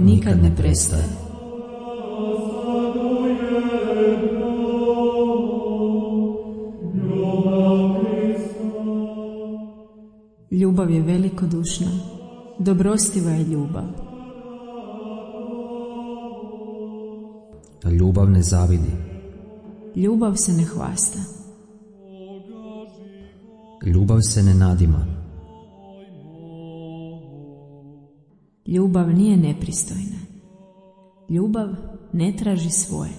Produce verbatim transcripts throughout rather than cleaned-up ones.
nikad ne prestaje. Ljubav je velikodušna, dobrostiva je ljubav. Ljubav ne zavidi. Ljubav se ne hvasta. Ljubav se ne nadima. Ljubav nije nepristojna. Ljubav ne traži svoje.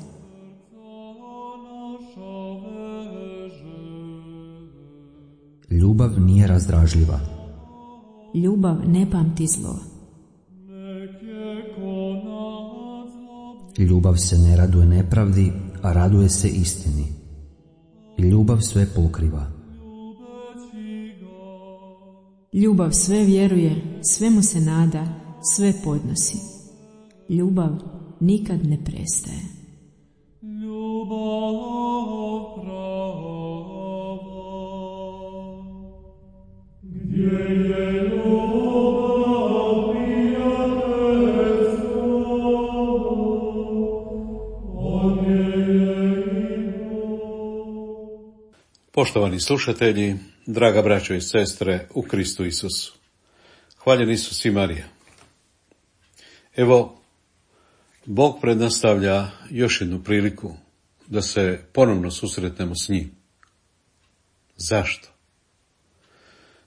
Ljubav nije razdražljiva. Ljubav ne pamti zlo. Ljubav se ne raduje nepravdi, a raduje se istini. Ljubav sve pokriva. Ljubav sve vjeruje, sve mu se nada, sve podnosi. Ljubav nikad ne prestaje. Poštovani slušatelji, draga braćo i sestre u Kristu Isusu, hvaljen Isus i Marija. Evo, Bog prednastavlja još jednu priliku da se ponovno susretnemo s njim. Zašto?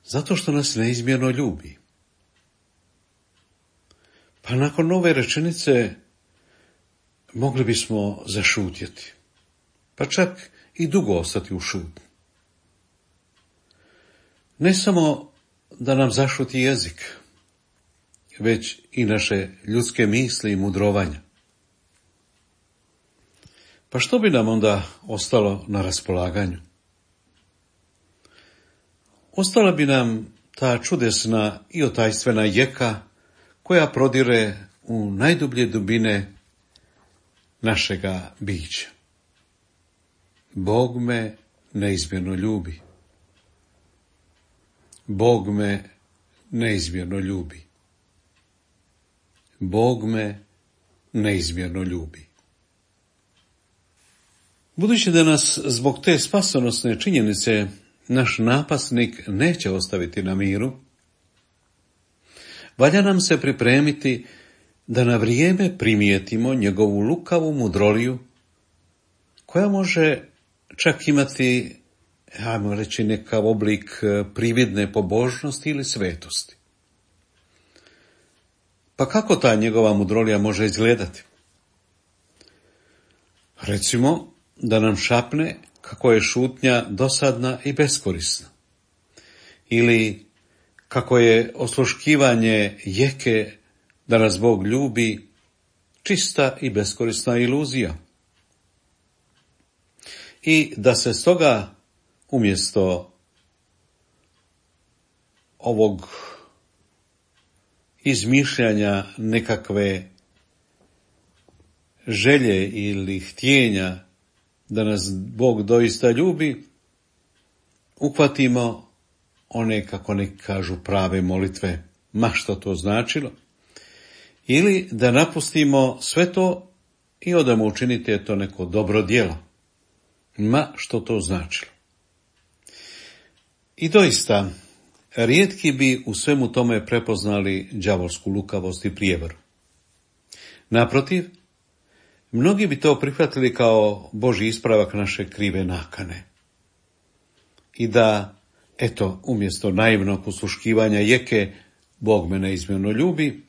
Zato što nas neizmjerno ljubi. Pa nakon ove rečenice mogli bismo zašutjeti, pa čak i dugo ostati u šutnji. Ne samo da nam zašuti jezik, već i naše ljudske misli i mudrovanja. Pa što bi nam onda ostalo na raspolaganju? Ostala bi nam ta čudesna i otajstvena jeka koja prodire u najdublje dubine našega bića. Bog me neizmjerno ljubi. Bog me neizmjerno ljubi. Bog me neizmjerno ljubi. Budući da nas zbog te spasonosne činjenice naš napasnik neće ostaviti na miru, valja nam se pripremiti da na vrijeme primijetimo njegovu lukavu mudroliju, koja može čak imati, ajmo reći, nekav oblik prividne pobožnosti ili svetosti. Pa kako ta njegova mudrolija može izgledati? Recimo, da nam šapne kako je šutnja dosadna i beskorisna. Ili kako je osluškivanje jeke da nas Bog ljubi čista i beskorisna iluzija. I da se stoga umjesto ovog izmišljanja nekakve želje ili htjenja da nas Bog doista ljubi, uhvatimo one, kako neki kažu, prave molitve, ma što to značilo, ili da napustimo sve to i odemo učiniti to neko dobro djelo, ma što to značilo. I doista, rijetki bi u svemu tome prepoznali đavolsku lukavost i prijevaru. Naprotiv, mnogi bi to prihvatili kao Božji ispravak naše krive nakane. I da, eto, umjesto naivnog usluškivanja jeke, Bog me neizmjerno ljubi,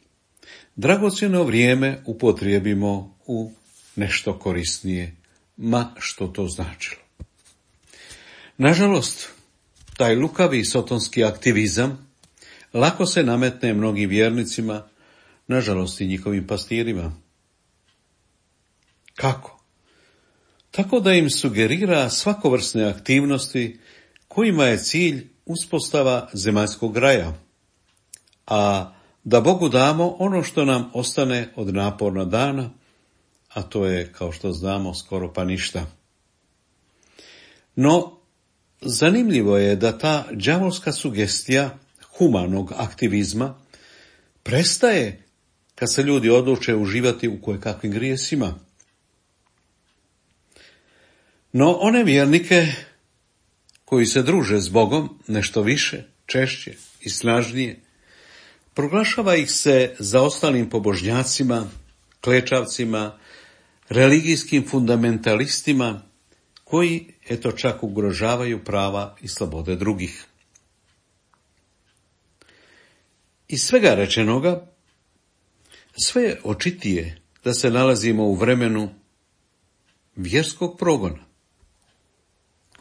dragocjeno vrijeme upotrijebimo u nešto korisnije, ma što to značilo. Nažalost, taj lukavi sotonski aktivizam lako se nametne mnogim vjernicima, nažalost i njihovim pastirima. Kako? Tako da im sugerira svakovrsne aktivnosti kojima je cilj uspostava zemaljskog raja, a da Bogu damo ono što nam ostane od naporna dana, a to je, kao što znamo, skoro pa ništa. No, zanimljivo je da ta đavolska sugestija humanog aktivizma prestaje kad se ljudi odluče uživati u kojekakvim grijesima. No one vjernike koji se druže s Bogom nešto više, češće i snažnije, proglašava ih se zaostalim pobožnjacima, klečavcima, religijskim fundamentalistima, koji, eto, čak ugrožavaju prava i slobode drugih. Iz svega rečenoga, sve je očitije da se nalazimo u vremenu vjerskog progona.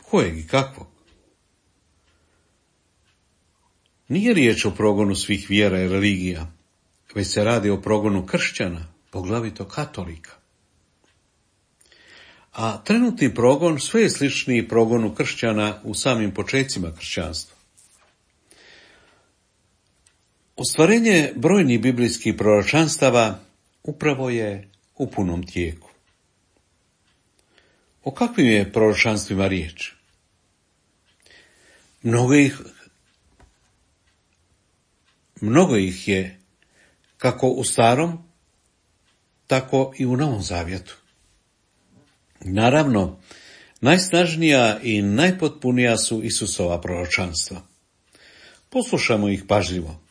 Kojeg i kakvog? Nije riječ o progonu svih vjera i religija, već se radi o progonu kršćana, poglavito katolika. A trenutni progon sve je sličniji progonu kršćana u samim počecima kršćanstva. Ostvarenje brojnih biblijskih proročanstava upravo je u punom tijeku. O kakvim je proročanstvima riječ? Mnogo ih, mnogo ih je kako u Starom, tako i u Novom Zavjetu. Naravno, najsnažnija i najpotpunija su Isusova proročanstva. Poslušamo ih pažljivo.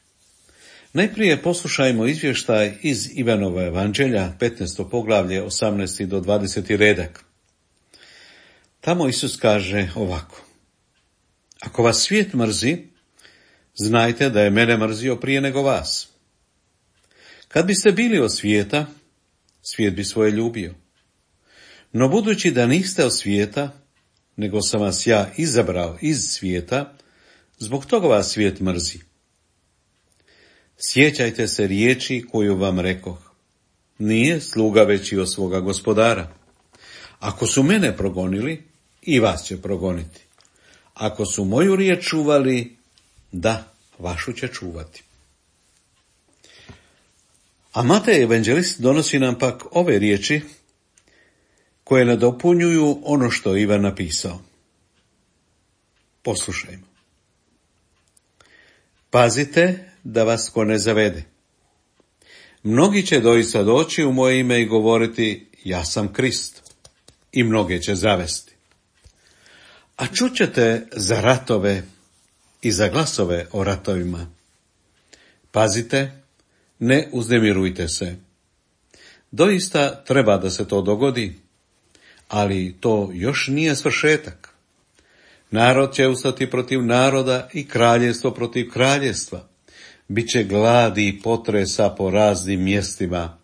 Najprije poslušajmo izvještaj iz Ivanova evanđelja, petnaesto poglavlje, osamnaesti do dvadeseti redak. Tamo Isus kaže ovako: Ako vas svijet mrzi, znajte da je mene mrzio prije nego vas. Kad biste bili od svijeta, svijet bi svoje ljubio. No budući da niste od svijeta, nego sam vas ja izabrao iz svijeta, zbog toga vas svijet mrzi. Sjećajte se riječi koju vam rekoh. Nije sluga veći od svoga gospodara. Ako su mene progonili, i vas će progoniti. Ako su moju riječ čuvali, da, vašu će čuvati. A Matej evanđelist donosi nam pak ove riječi koje nadopunjuju ono što je Ivan napisao. Poslušajmo. Pazite da vas ko ne zavede. Mnogi će doista doći u moje ime i govoriti, ja sam Krist, i mnoge će zavesti. A čućete za ratove i za glasove o ratovima. Pazite, ne uznemirujte se. Doista treba da se to dogodi, ali to još nije svršetak. Narod će ustati protiv naroda i kraljevstvo protiv kraljevstva. Biće gladi i potresa po raznim mjestima.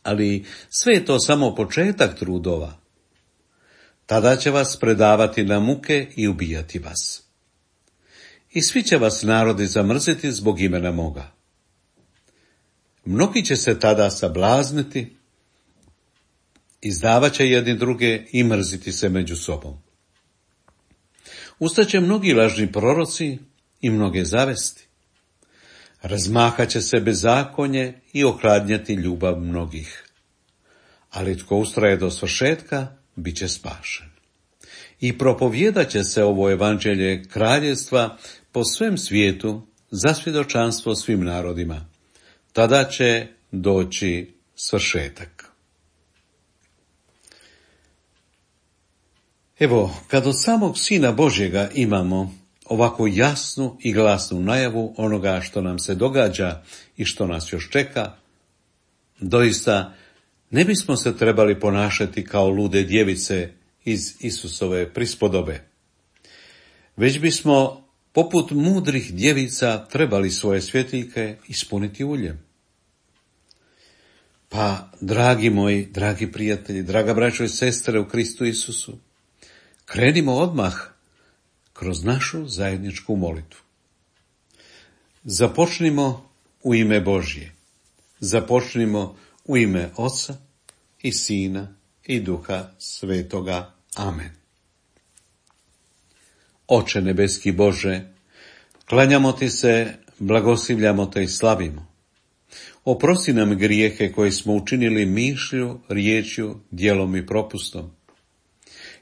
Ali sve je to samo početak trudova. Tada će vas predavati na muke i ubijati vas. I svi će vas narodi zamrziti zbog imena moga. Mnogi će se tada sablazniti, izdavat će jedni druge i mrziti se među sobom. Ustaće mnogi lažni proroci i mnoge zavesti. Razmahat će se bezakonje i ohladnjati ljubav mnogih. Ali tko ustraje do svršetka, bit će spašen. I propovijedat će se ovo evanđelje kraljevstva po svem svijetu za svjedočanstvo svim narodima. Tada će doći svršetak. Evo, kad od samog Sina Božjega imamo ovako jasnu i glasnu najavu onoga što nam se događa i što nas još čeka, doista ne bismo se trebali ponašati kao lude djevice iz Isusove prispodobe, već bismo poput mudrih djevica trebali svoje svjetiljke ispuniti uljem. Pa, dragi moji, dragi prijatelji, draga braćo i sestre u Kristu Isusu, krenimo odmah kroz našu zajedničku molitvu. Započnimo u ime Božje. Započnimo u ime Oca i Sina i Duha Svetoga. Amen. Oče nebeski Bože, klanjamo ti se, blagoslivljamo te i slavimo. Oprosti nam grijehe koje smo učinili mišlju, riječju, djelom i propustom.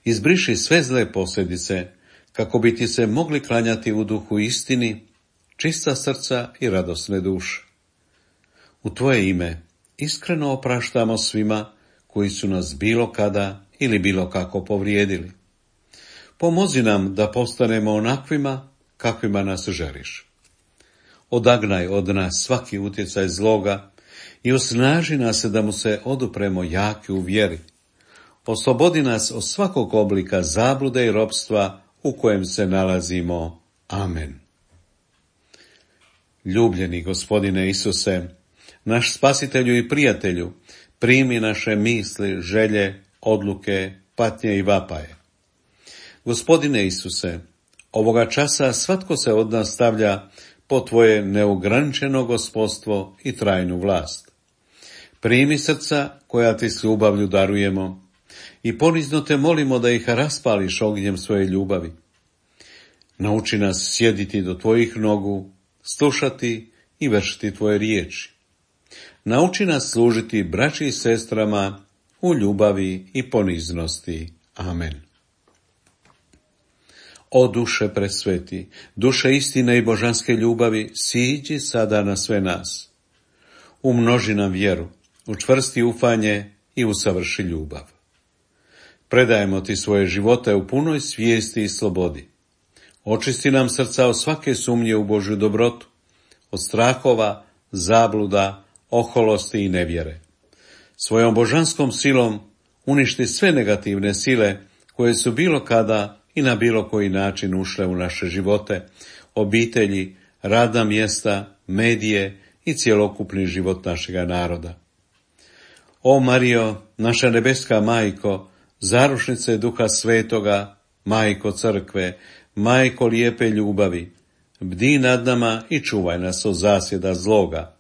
Izbriši sve zle posljedice, kako bi ti se mogli klanjati u duhu istini, čista srca i radosne duše. U tvoje ime iskreno opraštamo svima koji su nas bilo kada ili bilo kako povrijedili. Pomozi nam da postanemo onakvima kakvima nas želiš. Odagnaj od nas svaki utjecaj zloga i osnaži nas da mu se odupremo jaki u vjeri. Oslobodi nas od svakog oblika zablude i ropstva u kojem se nalazimo. Amen. Ljubljeni Gospodine Isuse, naš spasitelju i prijatelju, primi naše misli, želje, odluke, patnje i vapaje. Gospodine Isuse, ovoga časa svatko se od nas stavlja po tvoje neograničeno gospodstvo i trajnu vlast. Primi srca koja ti s ljubavlju darujemo i ponizno te molimo da ih raspališ ognjem svoje ljubavi. Nauči nas sjediti do tvojih nogu, slušati i vršiti tvoje riječi. Nauči nas služiti braći i sestrama u ljubavi i poniznosti. Amen. O duše presveti, duše istine i božanske ljubavi, siđi sada na sve nas. Umnoži nam vjeru, učvrsti ufanje i usavrši ljubav. Predajemo ti svoje živote u punoj svijesti i slobodi. Očisti nam srca od svake sumnje u Božju dobrotu, od strahova, zabluda, oholosti i nevjere. Svojom božanskom silom uništi sve negativne sile koje su bilo kada i na bilo koji način ušle u naše živote, obitelji, radna mjesta, medije i cjelokupni život našega naroda. O Marijo, naša nebeska majko, zarušnice Duha Svetoga, majko crkve, majko lijepe ljubavi, bdi nad nama i čuvaj nas od zasjeda zloga.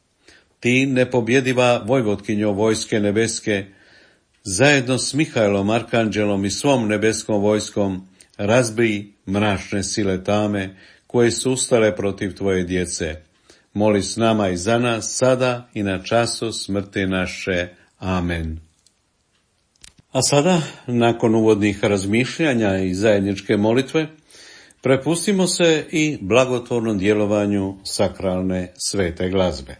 Ti, nepobjediva vojvotkinjo vojske nebeske, zajedno s Mihajlom, arkanđelom i svom nebeskom vojskom, razbij mračne sile tame koje su ustale protiv tvoje djece. Moli s nama i za nas sada i na času smrti naše. Amen. A sada, nakon uvodnih razmišljanja i zajedničke molitve, prepustimo se i blagotvornom djelovanju sakralne svete glazbe.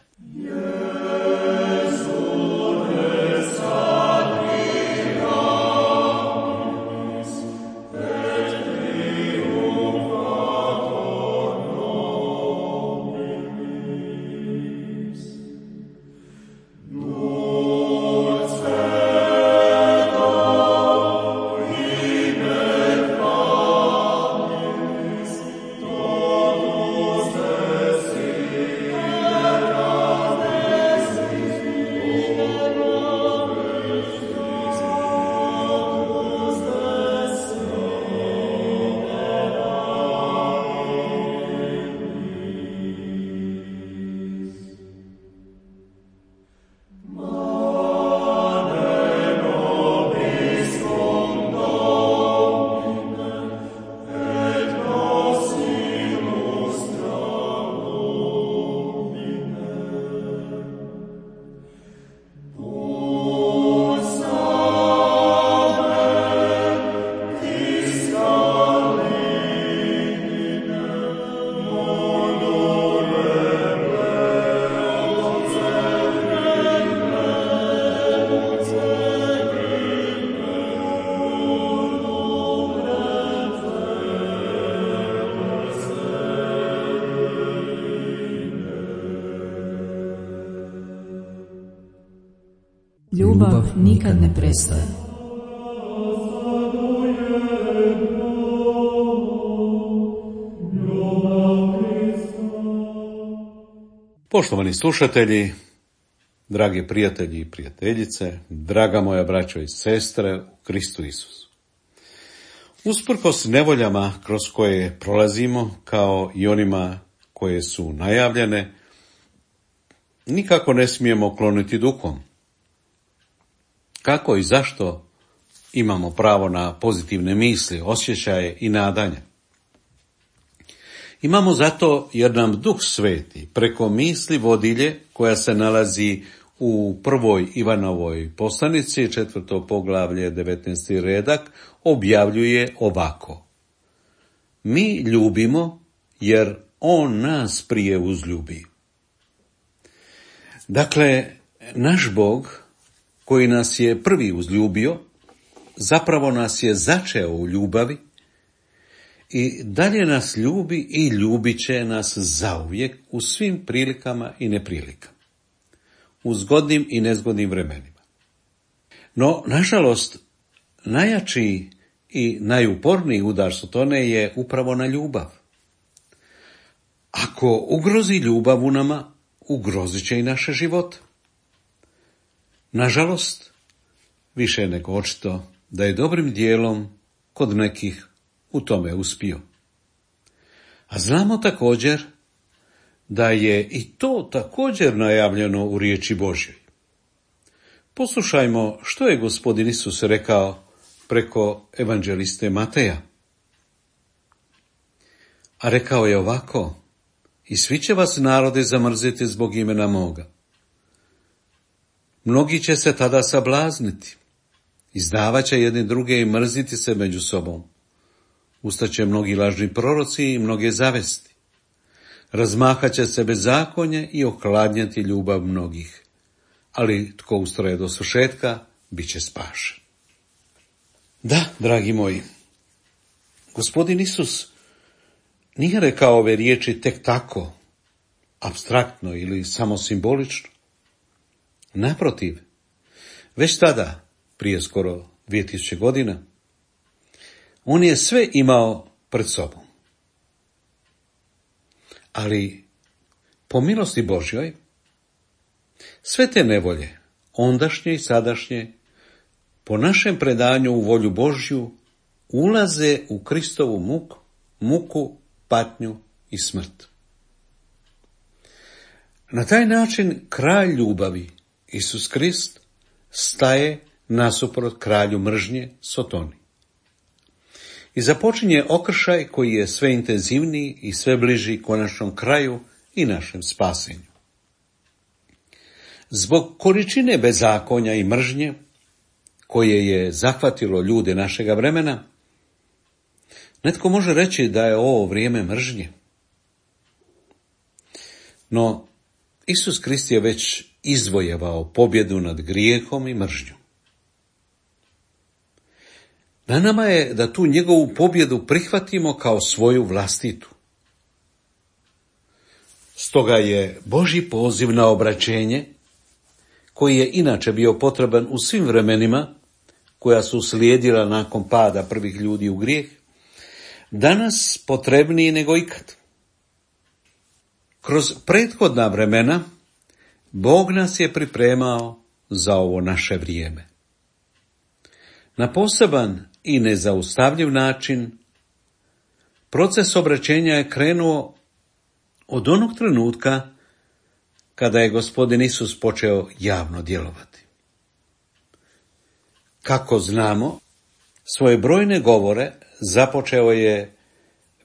Ljubav nikad ne prestaje. Poštovani slušatelji, dragi prijatelji i prijateljice, draga moja braćo i sestre u Kristu Isusu. Usprkos nevoljama kroz koje prolazimo, kao i onima koje su najavljene, nikako ne smijemo kloniti duhom. Kako i zašto imamo pravo na pozitivne misli, osjećaje i nadanje? Imamo zato jer nam Duh Sveti preko misli vodilje koja se nalazi u prvoj Ivanovoj poslanici, četvrto poglavlje, devetnaesti redak, objavljuje ovako. Mi ljubimo jer On nas prije uzljubi. Dakle, naš Bog, koji nas je prvi uzljubio, zapravo nas je začeo u ljubavi i dalje nas ljubi i ljubit će nas zauvijek u svim prilikama i neprilikama, u zgodnim i nezgodnim vremenima. No, nažalost, najjači i najuporniji udar Sotone je upravo na ljubav. Ako ugrozi ljubav u nama, ugrozit će i naše živote. Nažalost, više nego očito da je dobrim dijelom kod nekih u tome uspio. A znamo također da je i to također najavljeno u riječi Božjoj. Poslušajmo što je Gospodin Isus rekao preko evanđeliste Mateja. A rekao je ovako: i svi će vas narode zamrziti zbog imena moga. Mnogi će se tada sablazniti, izdavat će jedni druge i mrziti se među sobom. Ustaće mnogi lažni proroci i mnoge zavesti. Razmahat će se bezakonje i ohladnjati ljubav mnogih. Ali tko ustraje do svršetka, bit će spašen. Da, dragi moji, Gospodin Isus nije rekao ove riječi tek tako, apstraktno ili samo simbolično. Naprotiv, već tada, prije skoro dvije tisuće godina, on je sve imao pred sobom. Ali, po milosti Božjoj, sve te nevolje, ondašnje i sadašnje, po našem predanju u volju Božju, ulaze u Kristovu muku, muku, patnju i smrt. Na taj način kralj ljubavi, Isus Krist, staje nasuprot kralju mržnje, Sotoni. I započinje okršaj koji je sve intenzivniji i sve bliži konačnom kraju i našem spasenju. Zbog količine bezakonja i mržnje koje je zahvatilo ljude našega vremena, netko može reći da je ovo vrijeme mržnje. No, Isus Krist je već izvojevao pobjedu nad grijehom i mržnjom. Na nama je da tu njegovu pobjedu prihvatimo kao svoju vlastitu. Stoga je Božji poziv na obraćenje, koji je inače bio potreban u svim vremenima koja su slijedila nakon pada prvih ljudi u grijeh, danas potrebniji nego ikad. Kroz prethodna vremena Bog nas je pripremao za ovo naše vrijeme. Na poseban i nezaustavljiv način proces obraćenja je krenuo od onog trenutka kada je Gospodin Isus počeo javno djelovati. Kako znamo, svoje brojne govore započeo je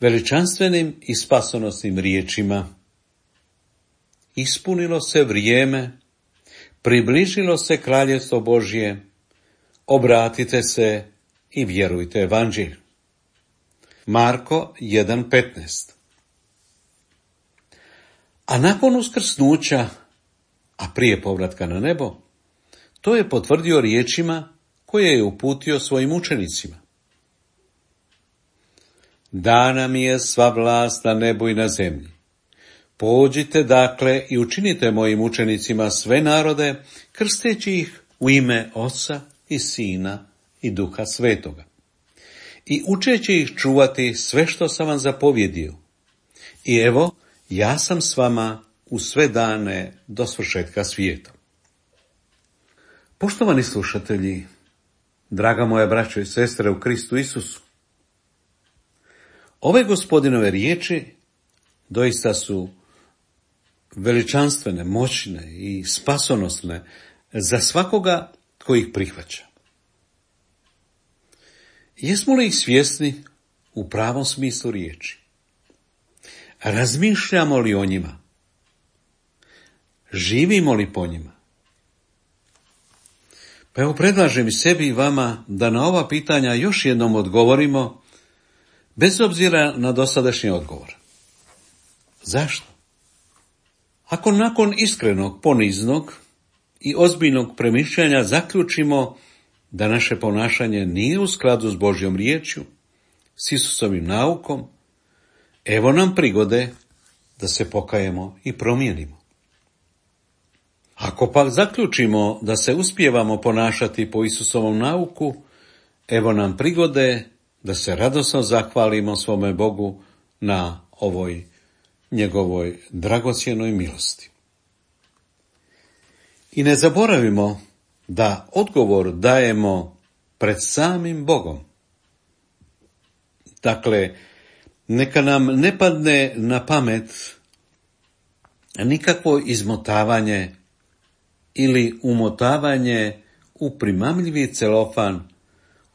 veličanstvenim i spasonosnim riječima: ispunilo se vrijeme, približilo se kraljevstvo Božje, obratite se i vjerujte evanđelju. Marko jedan petnaest. A nakon uskrsnuća, a prije povratka na nebo, to je potvrdio riječima koje je uputio svojim učenicima: dana mi je sva vlast na nebu i na zemlji. Pođite dakle i učinite mojim učenicima sve narode, krsteći ih u ime Oca i Sina i Duha Svetoga, i učeći ih čuvati sve što sam vam zapovjedio. I evo, ja sam s vama u sve dane do svršetka svijeta. Poštovani slušatelji, draga moja braćo i sestre u Kristu Isusu, ove Gospodinove riječi doista su veličanstvene, moćne i spasonosne za svakoga tko ih prihvaća. Jesmo li ih svjesni u pravom smislu riječi? Razmišljamo li o njima? Živimo li po njima? Pa evo, predlažem i sebi i vama da na ova pitanja još jednom odgovorimo, bez obzira na dosadašnji odgovor. Zašto? Ako nakon iskrenog, poniznog i ozbiljnog premišljanja zaključimo da naše ponašanje nije u skladu s Božjom riječju, s Isusovim naukom, evo nam prigode da se pokajemo i promijenimo. Ako pak zaključimo da se uspijevamo ponašati po Isusovom nauku, evo nam prigode da se radosno zahvalimo svome Bogu na ovoj njegovoj dragocjenoj milosti. I ne zaboravimo da odgovor dajemo pred samim Bogom. Dakle, neka nam ne padne na pamet nikakvo izmotavanje ili umotavanje u primamljivi celofan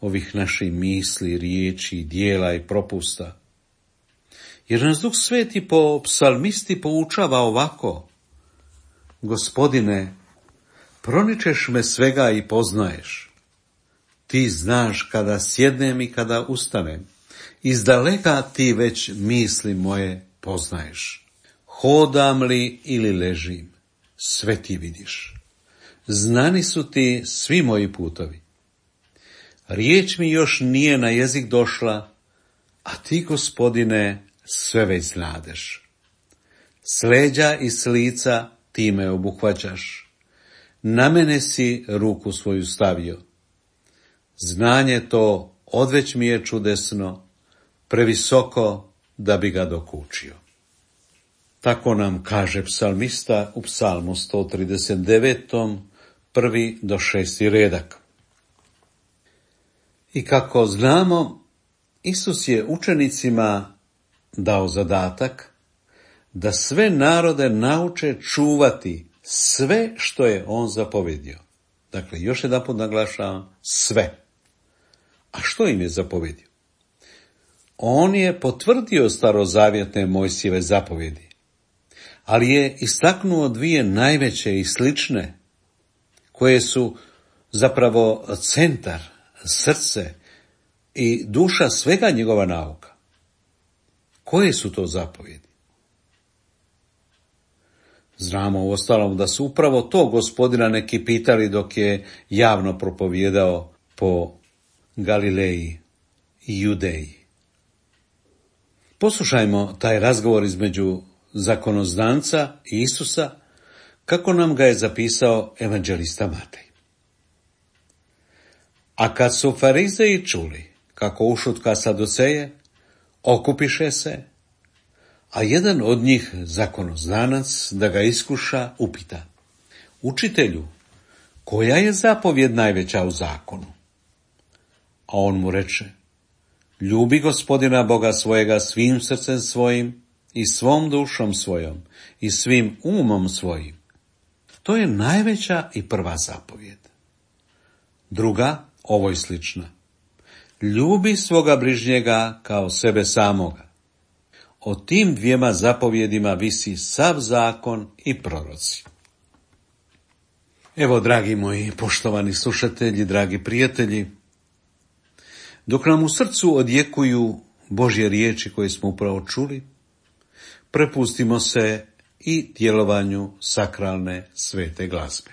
ovih naših misli, riječi, dijela i propusta. Jer nas Duh Sveti po psalmisti poučava ovako: Gospodine, proničeš me svega i poznaješ. Ti znaš kada sjednem i kada ustanem. Izdaleka ti već misli moje poznaješ. Hodam li ili ležim, sve ti vidiš. Znani su ti svi moji putovi. Riječ mi još nije na jezik došla, a ti, Gospodine, sve već znadeš. S leđa i s lica ti me obuhvaćaš. Na mene si ruku svoju stavio. Znanje to odveć mi je čudesno, previsoko da bi ga dokučio. Tako nam kaže psalmista u psalmu sto trideset devet, prvi do šesti redak. I kako znamo, Isus je učenicima dao zadatak da sve narode nauče čuvati sve što je on zapovedio. Dakle, još jedanput naglašavam, sve. A što im je zapovedio? On je potvrdio starozavjetne Mojsijeve zapovjedi, ali je istaknuo dvije najveće i slične, koje su zapravo centar, srce i duša svega njegova nauka. Koje su to zapovjedi? Znamo uostalom da su upravo to Gospodina neki pitali dok je javno propovijedao po Galileji i Judeji. Poslušajmo taj razgovor između zakonozdanca i Isusa, kako nam ga je zapisao evanđelista Matej. A kad su farizeji čuli kako ušutka Saduceje, okupiše se, a jedan od njih, zakonozdanac, da ga iskuša, upita: Učitelju, koja je zapovjed najveća u zakonu? A on mu reče: Ljubi Gospodina Boga svojega svim srcem svojim i svom dušom svojom i svim umom svojim. To je najveća i prva zapovjed. Druga, ovoj slična: Ljubi svoga bližnjega kao sebe samoga. O tim dvijema zapovjedima visi sav zakon i proroci. Evo, dragi moji poštovani slušatelji, dragi prijatelji, dok nam u srcu odjekuju Božje riječi koje smo upravo čuli, prepustimo se i djelovanju sakralne svete glazbe.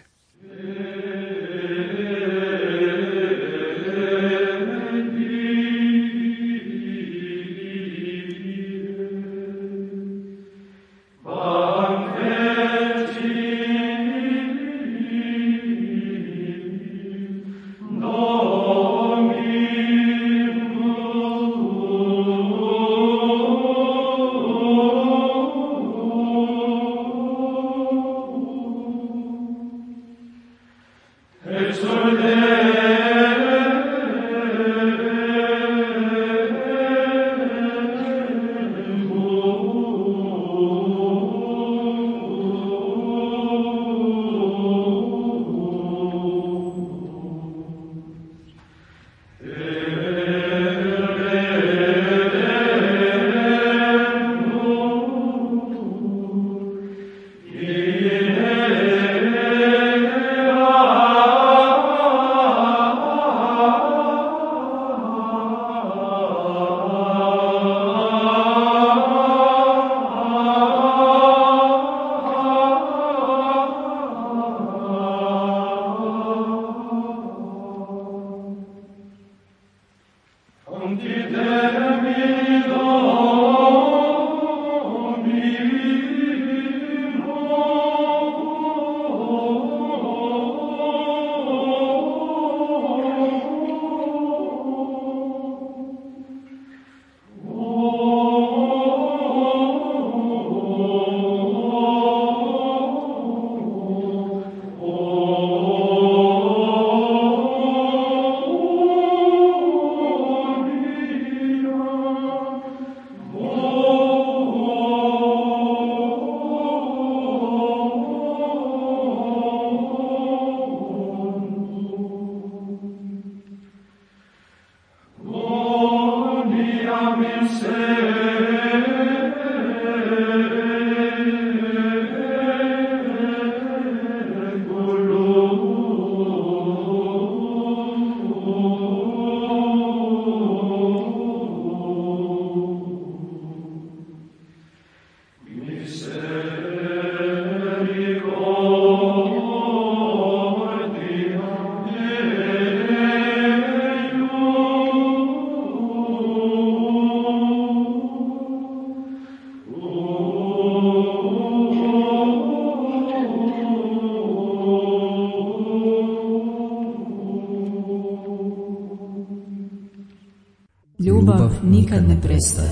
Ljubav nikad ne prestaje.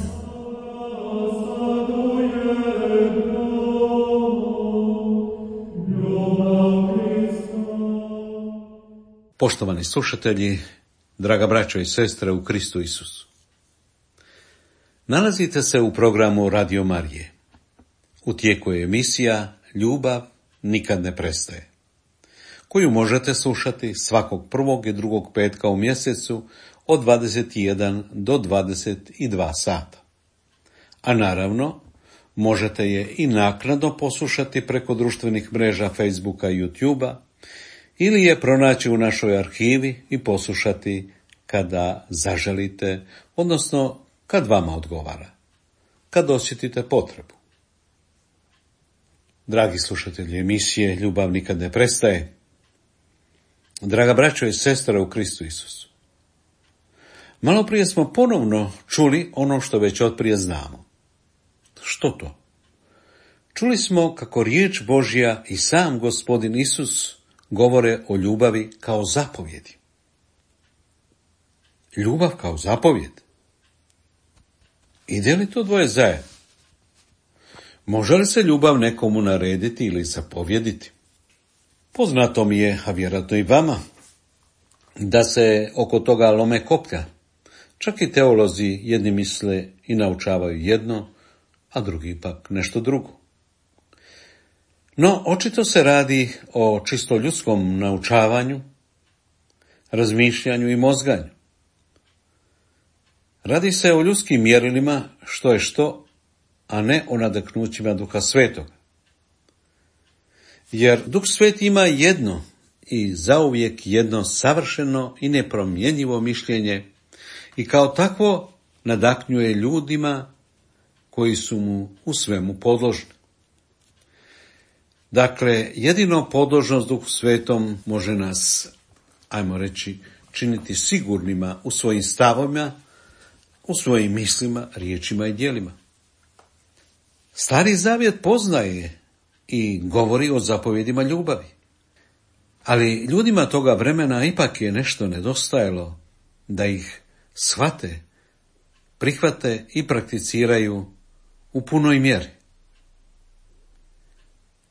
Poštovani slušatelji, draga braćo i sestre u Kristu Isusu. Nalazite se u programu Radio Marije. U tijeku je emisija Ljubav nikad ne prestaje, koju možete slušati svakog prvog i drugog petka u mjesecu od dvadeset jedan do dvadeset dva sata. A naravno, možete je i naknadno poslušati preko društvenih mreža Facebooka i YouTubea, ili je pronaći u našoj arhivi i poslušati kada zaželite, odnosno kad vama odgovara, kad osjetite potrebu. Dragi slušatelji emisije Ljubav nikad ne prestaje, draga braćo i sestra u Kristu Isusu, malo prije smo ponovno čuli ono što već otprije znamo. Što to? Čuli smo kako riječ Božja i sam Gospodin Isus govore o ljubavi kao zapovjedi. Ljubav kao zapovjed. Ide li to dvoje zajedno? Može li se ljubav nekomu narediti ili zapovjediti? Poznato mi je, a vjerojatno i vama, da se oko toga lome koplja. Čak i teolozi jedni misle i naučavaju jedno, a drugi pak nešto drugo. No, očito se radi o čisto ljudskom naučavanju, razmišljanju i mozganju. Radi se o ljudskim mjerilima što je što, a ne o nadahnućima Duha Svetoga. Jer Duh Sveti ima jedno i zauvijek jedno savršeno i nepromjenjivo mišljenje i kao takvo nadahnjuje ljudima koji su mu u svemu podložni. Dakle, jedino podložnost Duhu Svetom može nas, ajmo reći, činiti sigurnima u svojim stavovima, u svojim mislima, riječima i djelima. Stari Zavjet poznaje i govori o zapovjedima ljubavi. Ali ljudima toga vremena ipak je nešto nedostajalo da ih shvate, prihvate i prakticiraju u punoj mjeri.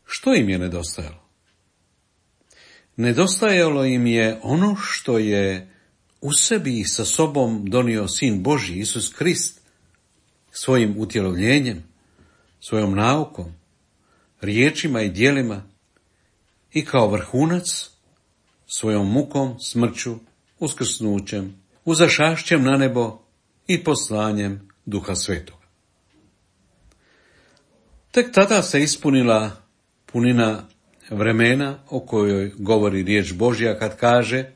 Što im je nedostajalo? Nedostajalo im je ono što je u sebi i sa sobom donio Sin Božji, Isus Krist, svojim utjelovljenjem, svojom naukom, riječima i djelima i kao vrhunac svojom mukom, smrću, uskrsnućem, uzašašćem na nebo i poslanjem Duha Svetoga. Tek tada se ispunila punina vremena o kojoj govori riječ Božja kad kaže: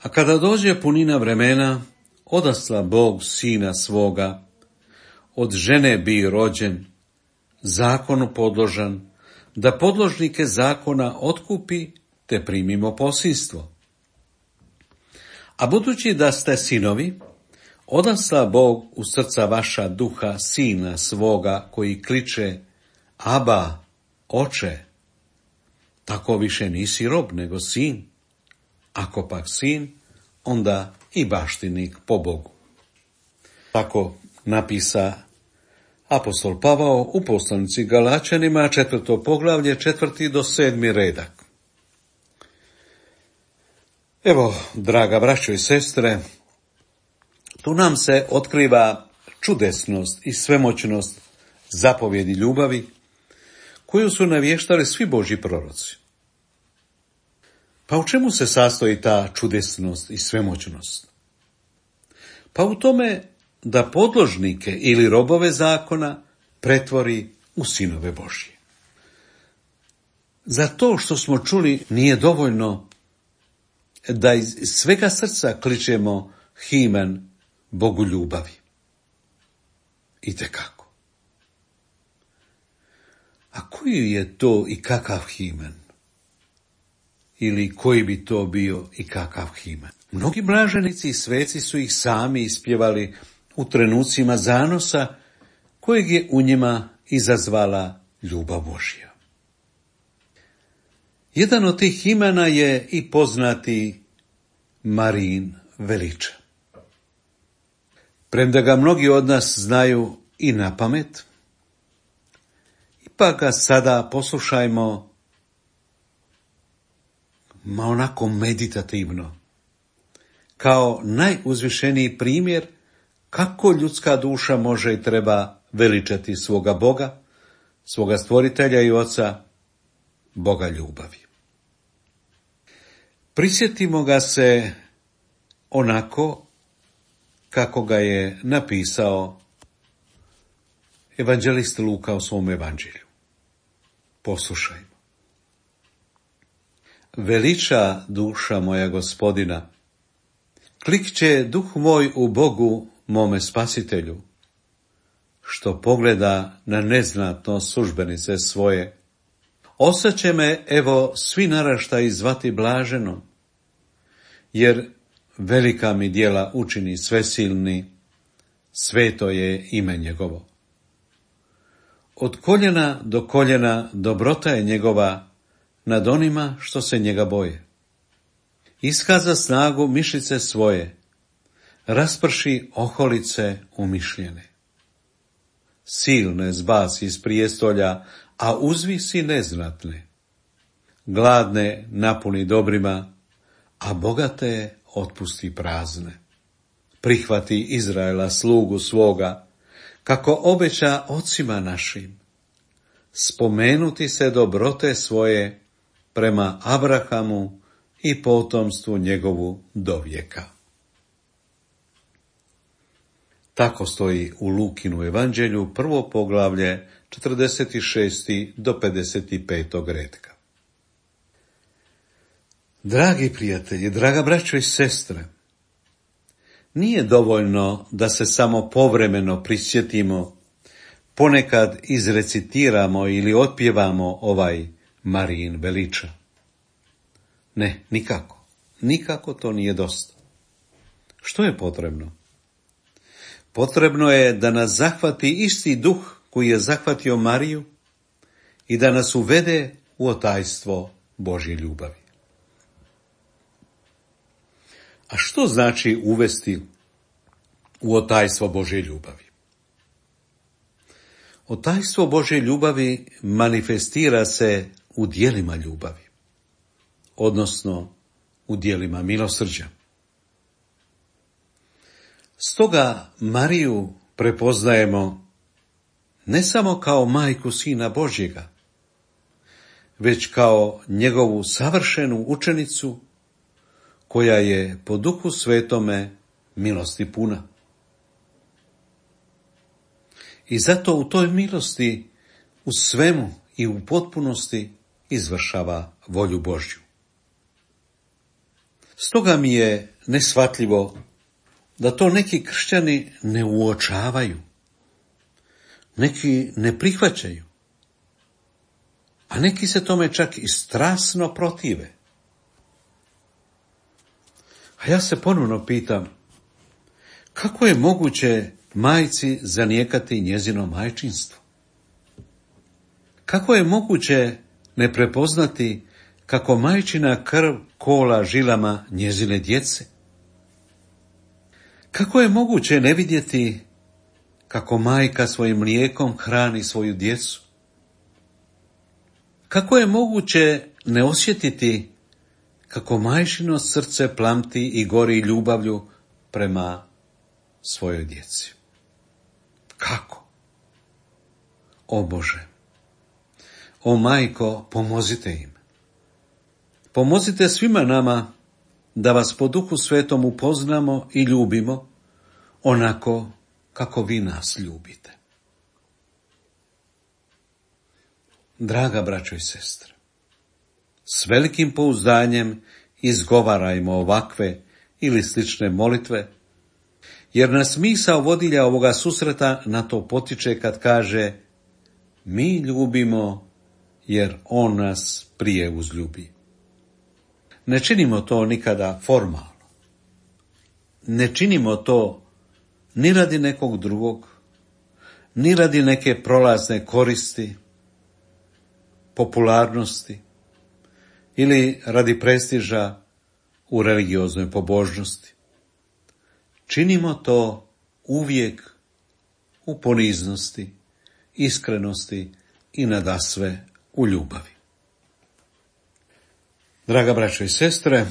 a kada dođe punina vremena, odasla Bog Sina svoga, od žene bi rođen, zakonu podložan, da podložnike zakona otkupi, te primimo posinstvo. A budući da ste sinovi, odasla Bog u srca vaša Duha Sina svoga, koji kliče: Aba, Oče. Tako više nisi rob, nego sin. Ako pak sin, onda i baštinik po Bogu. Tako napisa apostol Pavao u poslanici Galačanima, četvrto poglavlje, četvrti do sedmi redak. Evo, draga braćo i sestre, tu nam se otkriva čudesnost i svemoćnost zapovjedi ljubavi, koju su navještali svi Božji proroci. Pa u čemu se sastoji ta čudesnost i svemoćnost? Pa u tome da podložnike ili robove zakona pretvori u sinove Božje. Za to što smo čuli nije dovoljno da iz svega srca kličemo himen Bogu ljubavi. Itekako. A koji je to i kakav himen? Ili koji bi to bio i kakav himen? Mnogi blaženici i sveci su ih sami ispjevali u trenucima zanosa kojeg je u njima izazvala ljubav Božja. Jedan od tih imena je i poznati Marijin veliča. Premda ga mnogi od nas znaju i na pamet, ipak ga sada poslušajmo ma onako meditativno, kao najuzvišeniji primjer kako ljudska duša može i treba veličati svoga Boga, svoga stvoritelja i oca, Boga ljubavi. Prisjetimo ga se onako kako ga je napisao evanđelist Luka u svom evanđelju. Poslušajmo. Veliča duša moja Gospodina, klikće duh moj u Bogu, mome spasitelju, što pogleda na neznatno službenice svoje. Ostaće me, evo, svi naraštaji zvati blaženo, jer velika mi djela učini svesilni, sveto je ime njegovo. Od koljena do koljena dobrota je njegova nad onima što se njega boje. Iskaza snagu mišice svoje, rasprši oholice umišljene. Silne zbaci iz prijestolja, a uzvisi neznatne. Gladne napuni dobrima, a bogate otpusti prazne. Prihvati Izraela slugu svoga, kako obeća ocima našim. Spomenuti se dobrote svoje prema Abrahamu i potomstvu njegovu do vijeka. Tako stoji u Lukinu evanđelju, prvo poglavlje, četrdeset šest do pedeset pet retka. Dragi prijatelji, draga braćo i sestre, nije dovoljno da se samo povremeno prisjetimo, ponekad izrecitiramo ili otpjevamo ovaj Marijin veliča. Ne, nikako. Nikako to nije dosta. Što je potrebno? Potrebno je da nas zahvati isti duh koji je zahvatio Mariju i da nas uvede u otajstvo Božje ljubavi. A što znači uvesti u otajstvo Božje ljubavi? Otajstvo Božje ljubavi manifestira se u djelima ljubavi, odnosno u djelima milosrđa. Stoga Mariju prepoznajemo ne samo kao majku Sina Božjega, već kao njegovu savršenu učenicu koja je po Duhu Svetome milosti puna. I zato u toj milosti u svemu i u potpunosti izvršava volju Božju. Stoga mi je neshvatljivo da to neki kršćani ne uočavaju, neki ne prihvaćaju, a neki se tome čak i strasno protive. A ja se ponovno pitam, kako je moguće majci zanijekati njezino majčinstvo? Kako je moguće ne prepoznati kako majčina krv kola žilama njezine djece? Kako je moguće ne vidjeti kako majka svojim mlijekom hrani svoju djecu? Kako je moguće ne osjetiti kako majčino srce plamti i gori ljubavlju prema svojoj djeci? Kako? O Bože, o majko, pomozite im. Pomozite svima nama da vas po Duhu Svetom upoznamo i ljubimo onako kako vi nas ljubite. Draga braćo i sestre, s velikim pouzdanjem izgovarajmo ovakve ili slične molitve, jer nas misao vodilja ovoga susreta na to potiče kad kaže: mi ljubimo jer on nas prije uzljubi. Ne činimo to nikada formalno. Ne činimo to ni radi nekog drugog, ni radi neke prolazne koristi, popularnosti ili radi prestiža u religioznoj pobožnosti. Činimo to uvijek u poniznosti, iskrenosti i nadasve u ljubavi. Draga braćo i sestre,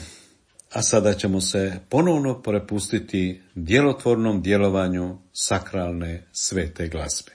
a sada ćemo se ponovno prepustiti djelotvornom djelovanju sakralne svete glazbe.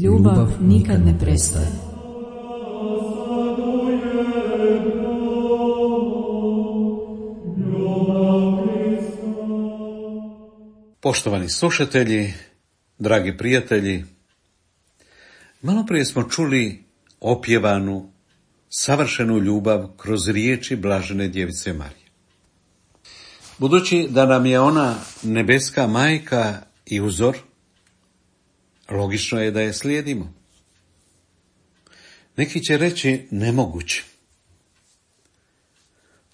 Ljubav nikad ne prestaje. Poštovani slušatelji, dragi prijatelji, malo prije smo čuli opjevanu, savršenu ljubav kroz riječi blažene djevice Marije. Budući da nam je ona nebeska majka i uzor, logično je da je slijedimo. Neki će reći nemoguće.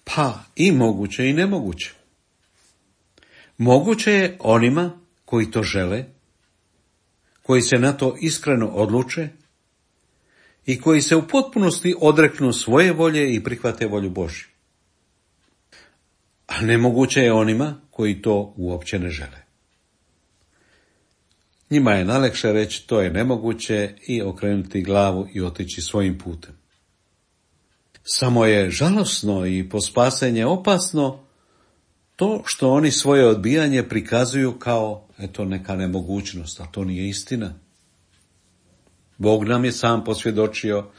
Pa i moguće i nemoguće. Moguće je onima koji to žele, koji se na to iskreno odluče i koji se u potpunosti odreknu svoje volje i prihvate volju Božju. a nemoguće je onima koji to uopće ne žele. Njima je najlakše reći to je nemoguće i okrenuti glavu i otići svojim putem. Samo je žalosno i po spasenje opasno to što oni svoje odbijanje prikazuju kao eto neka nemogućnost, a to nije istina. Bog nam je sam posvjedočio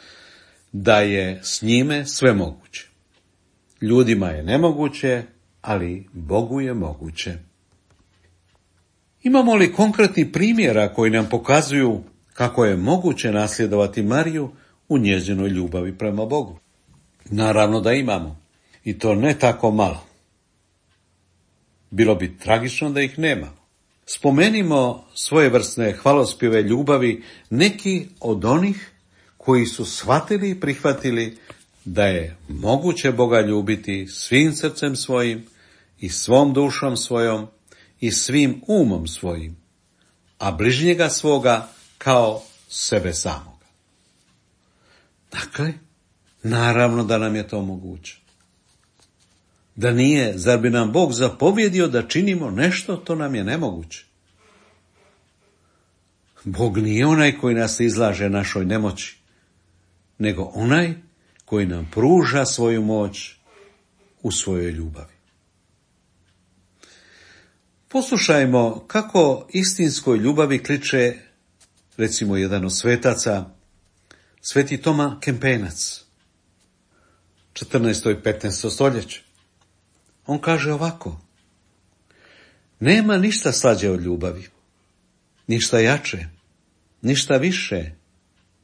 da je s njime sve moguće. Ljudima je nemoguće, ali Bogu je moguće. Imamo li konkretni primjera koji nam pokazuju kako je moguće nasljedovati Mariju u njezinoj ljubavi prema Bogu? Naravno da imamo, i to ne tako malo. Bilo bi tragično da ih nema. Spomenimo svojevrsne hvalospjeve ljubavi neki od onih koji su shvatili i prihvatili da je moguće Boga ljubiti svim srcem svojim i svom dušom svojom i svim umom svojim, a bližnjega svoga kao sebe samoga. Dakle, naravno da nam je to moguće. Da nije, zar bi nam Bog zapovjedio da činimo nešto, to nam je nemoguće. Bog nije onaj koji nas izlaže našoj nemoći, nego onaj koji nam pruža svoju moć u svojoj ljubavi. Poslušajmo kako istinskoj ljubavi kliče, recimo, jedan od svetaca, sveti Toma Kempenac, četrnaesto i petnaesto stoljeće. On kaže ovako: nema ništa slađe od ljubavi, ništa jače, ništa više,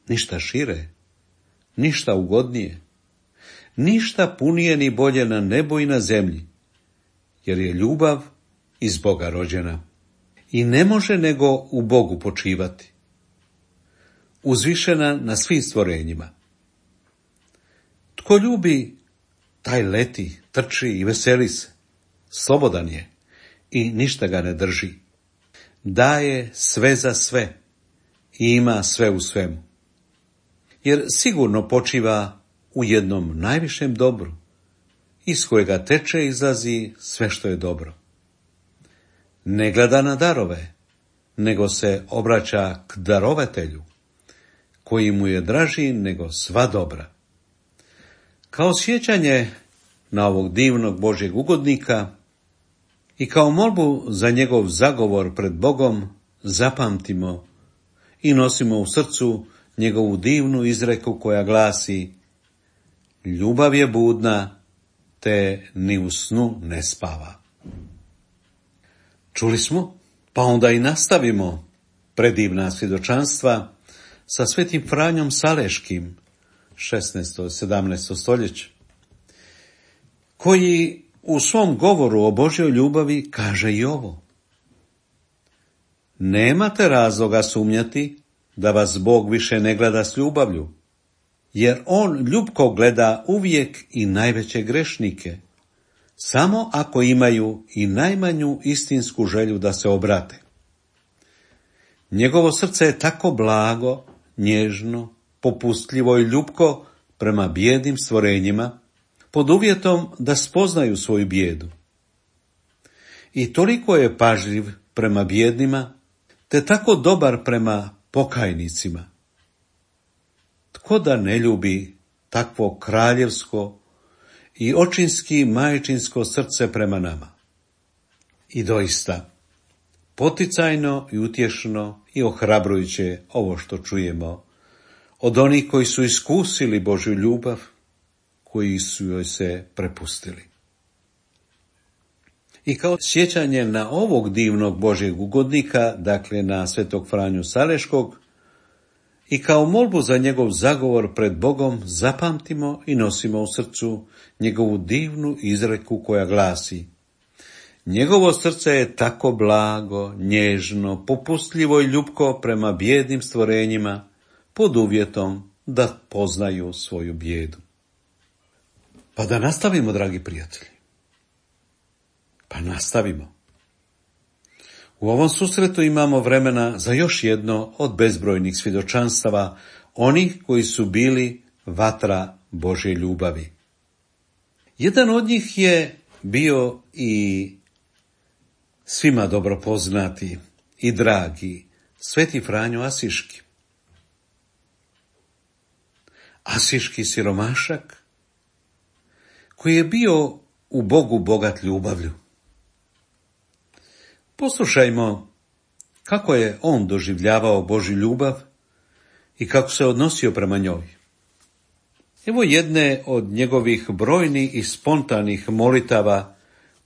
ništa šire, ništa ugodnije, ništa punije ni bolje na nebu i na zemlji, jer je ljubav iz Boga rođena i ne može nego u Bogu počivati, uzvišena na svim stvorenjima. Tko ljubi, taj leti, trči i veseli se, slobodan je i ništa ga ne drži. Daje sve za sve i ima sve u svemu. Jer sigurno počiva u jednom najvišem dobru, iz kojega teče i izlazi sve što je dobro. Ne gleda na darove, nego se obraća k darovatelju, koji mu je draži nego sva dobra. Kao sjećanje na ovog divnog Božjeg ugodnika i kao molbu za njegov zagovor pred Bogom zapamtimo i nosimo u srcu njegovu divnu izreku koja glasi: ljubav je budna, te ni u snu ne spava. Čuli smo, pa onda i nastavimo predivna svjedočanstva sa svetim Franjom Saleškim, šesnaesto i sedamnaesto stoljeće, koji u svom govoru o Božjoj ljubavi kaže i ovo: nemate razloga sumnjati da vas Bog više ne gleda s ljubavlju, jer on ljubko gleda uvijek i najveće grešnike, samo ako imaju i najmanju istinsku želju da se obrate. Njegovo srce je tako blago, nježno, popustljivo i ljubko prema bijednim stvorenjima, pod uvjetom da spoznaju svoju bijedu. I toliko je pažljiv prema bijednima, te tako dobar prema pokajnicima. Tko da ne ljubi takvo kraljevsko i očinski majčinsko srce prema nama? I doista, poticajno i utješno i ohrabrujuće ovo što čujemo od onih koji su iskusili Božju ljubav, koji su joj se prepustili. I kao sjećanje na ovog divnog Božjeg ugodnika, dakle na svetog Franju Saleškog, i kao molbu za njegov zagovor pred Bogom zapamtimo i nosimo u srcu njegovu divnu izreku koja glasi: njegovo srce je tako blago, nježno, popustljivo i ljubko prema bijednim stvorenjima, pod uvjetom da poznaju svoju bijedu. Pa da nastavimo, dragi prijatelji. Pa nastavimo. U ovom susretu imamo vremena za još jedno od bezbrojnih svjedočanstava onih koji su bili vatra Božje ljubavi. Jedan od njih je bio i svima dobro poznati i dragi Sveti Franjo Asiški. Asiški siromašak koji je bio u Bogu bogat ljubavlju. Poslušajmo kako je on doživljavao Božju ljubav i kako se odnosio prema njoj. Evo jedne od njegovih brojnih i spontanih molitava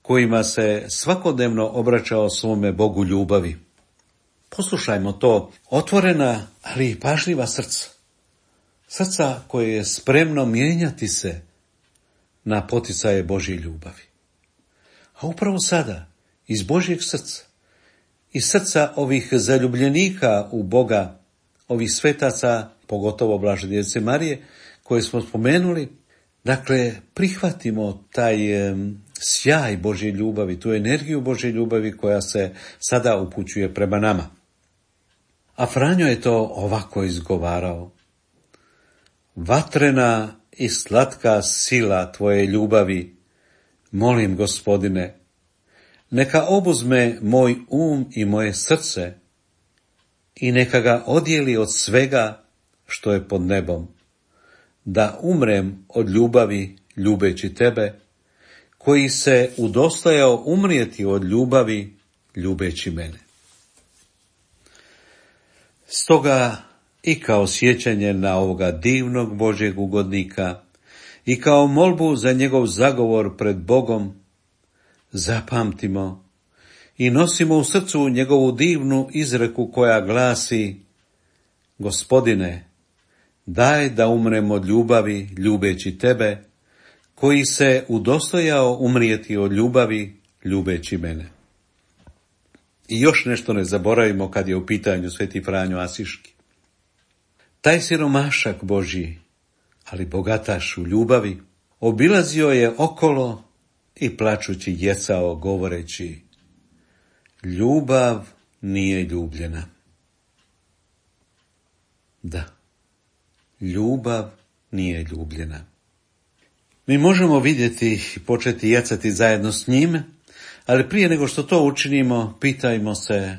kojima se svakodnevno obraćao svome Bogu ljubavi. Poslušajmo to, otvorena, ali i pažljiva srca. Srca koje je spremno mijenjati se na poticaje Božje ljubavi. A upravo sada, iz Božjeg srca, iz srca ovih zaljubljenika u Boga, ovih svetaca, pogotovo Blažedjevce Marije, koje smo spomenuli, dakle, prihvatimo taj e, sjaj Božje ljubavi, tu energiju Božje ljubavi koja se sada upućuje prema nama. A Franjo je to ovako izgovarao. Vatrena i slatka sila tvoje ljubavi, molim, Gospodine, neka obuzme moj um i moje srce i neka ga odijeli od svega što je pod nebom, da umrem od ljubavi ljubeći tebe, koji se udostojao umrijeti od ljubavi ljubeći mene. Stoga i kao sjećanje na ovoga divnog Božjeg ugodnika i kao molbu za njegov zagovor pred Bogom, zapamtimo i nosimo u srcu njegovu divnu izreku koja glasi: Gospodine, daj da umrem od ljubavi ljubeći tebe, koji se udostojao umrijeti od ljubavi ljubeći mene. I još nešto ne zaboravimo kad je u pitanju Sveti Franjo Asiški. Taj siromašak Božji, ali bogataš u ljubavi, obilazio je okolo i plačući jecao govoreći: ljubav nije ljubljena. Da, ljubav nije ljubljena. Mi možemo vidjeti i početi jecati zajedno s njime, ali prije nego što to učinimo, pitajmo se: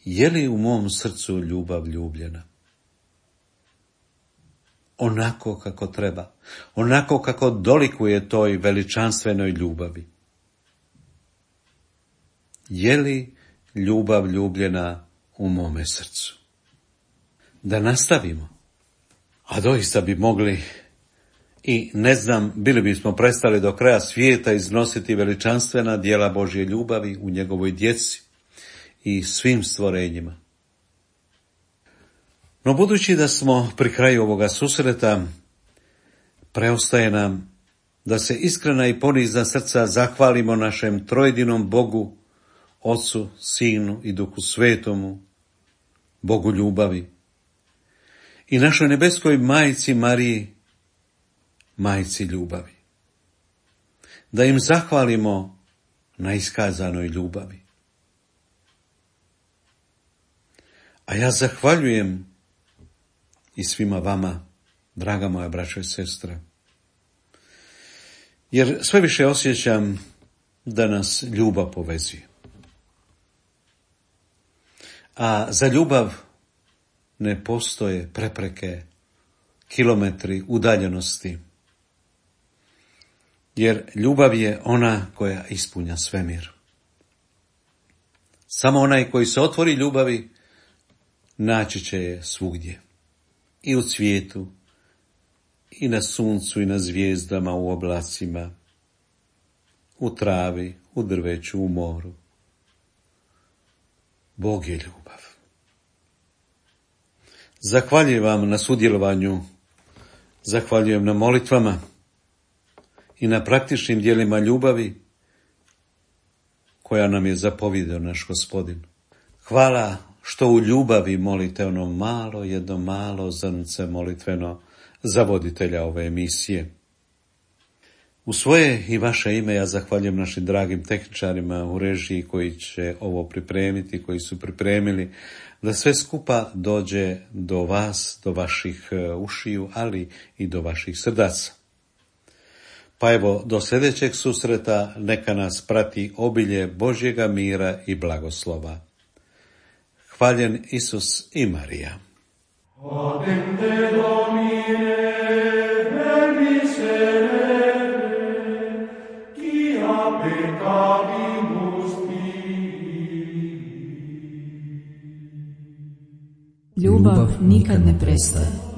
je li u mom srcu ljubav ljubljena? Onako kako treba, onako kako dolikuje toj veličanstvenoj ljubavi. Je li ljubav ljubljena u mome srcu? Da nastavimo, a doista bi mogli i ne znam, bili bismo prestali do kraja svijeta iznositi veličanstvena djela Božje ljubavi u njegovoj djeci i svim stvorenjima. No budući da smo pri kraju ovoga susreta, preostaje nam da se iskrena i ponizna srca zahvalimo našem trojedinom Bogu, Ocu, Sinu i Duhu Svetomu, Bogu ljubavi, i našoj nebeskoj Majci Mariji, Majci ljubavi. Da im zahvalimo na iskazanoj ljubavi. A ja zahvaljujem i svima vama, draga moja braćo i sestre, jer sve više osjećam da nas ljubav povezuje. A za ljubav ne postoje prepreke, kilometri udaljenosti, jer ljubav je ona koja ispunja svemir. Samo onaj koji se otvori ljubavi naći će je svugdje, i u cvijetu, i na suncu, i na zvijezdama, u oblacima, u travi, u drveću, u moru. Bog je ljubav. Zahvaljujem vam na sudjelovanju, zahvaljujem na molitvama i na praktičnim djelima ljubavi koja nam je zapovjedao naš Gospodin. Hvala što u ljubavi molite ono malo, jedno malo zrnce molitveno za voditelja ove emisije. U svoje i vaše ime ja zahvaljujem našim dragim tehničarima u režiji koji će ovo pripremiti, koji su pripremili da sve skupa dođe do vas, do vaših ušiju, ali i do vaših srdaca. Pa evo, do sljedećeg susreta neka nas prati obilje Božjega mira i blagoslova. Hvaljen Isus i Marija. Adente Domine, verbis serere, quia peccavimus tibi. Ljubav nikad ne prestaje.